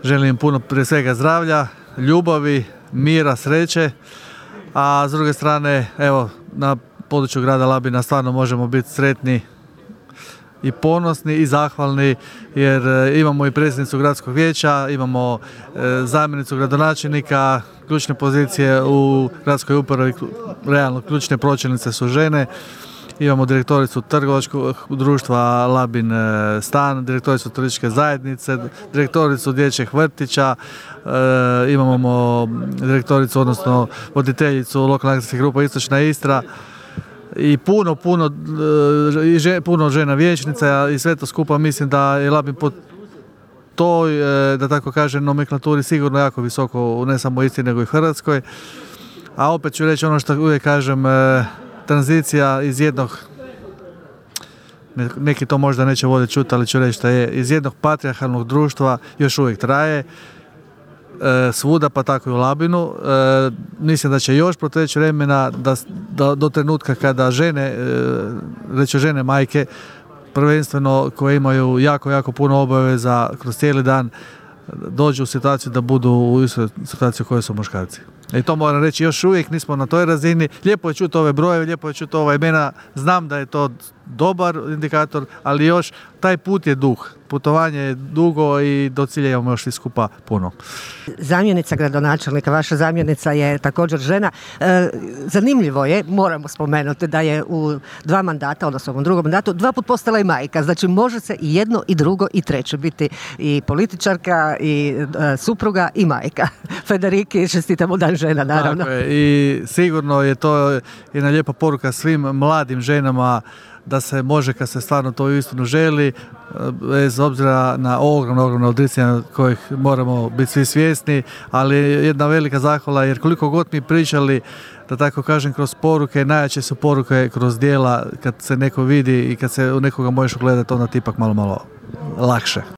želim puno prije svega zdravlja, ljubavi, mira, sreće, a s druge strane, evo, na području grada Labina stvarno možemo biti sretni i ponosni i zahvalni jer imamo i predsjednicu gradskog vijeća, imamo zamjenicu gradonačelnika, ključne pozicije u gradskoj upravi, realno ključne pročelnice su žene. Imamo direktoricu trgovačkog društva Labin stan, direktoricu turističke zajednice, direktoricu dječjih vrtića, imamo direktoricu, odnosno voditeljicu lokalne akcijske grupe Istočna Istra i puno žena vijećnica i sve to skupa. Mislim da je Labin po toj, da tako kažem, nomenklaturi sigurno jako visoko, ne samo u Istri nego i Hrvatskoj. A opet ću reći ono što uvijek kažem, tranzicija iz jednog, neki to možda neće voljeti čuti, ali ću reći da je iz jednog patrijarhalnog društva još uvijek traje svuda, pa tako i u Labinu. Mislim da će još proteći vremena da do trenutka kada žene, reći žene majke, prvenstveno koje imaju jako puno obaveza kroz cijeli dan, dođu u situaciju da budu u istoj situaciji u kojoj su muškarci. I to moram reći, još uvijek nismo na toj razini. Lijepo je čuti ove brojeve, lijepo je čuti ova imena. Znam da je to dobar indikator, ali još taj put je dug. Putovanje je dugo i do cilja imamo još svi skupa puno. Zamjenica gradonačelnika, vaša zamjenica je također žena. Zanimljivo je, moramo spomenuti da je u 2 mandata, odnosno u drugom mandatu, 2 put postala i majka. Znači može se i jedno i drugo i treće biti i političarka i supruga i majka. Federiki, čestitamo Dan žena, naravno. Tako je, i sigurno je to jedna lijepa poruka svim mladim ženama da se može, kad se stvarno to uistinu želi, bez obzira na ogromno odricanje kojih moramo biti svi svjesni, ali jedna velika zahvala jer koliko god mi pričali, da tako kažem, kroz poruke, najjače su poruke kroz djela, kad se neko vidi i kad se u nekoga možeš ugledati, onda ti ipak malo lakše.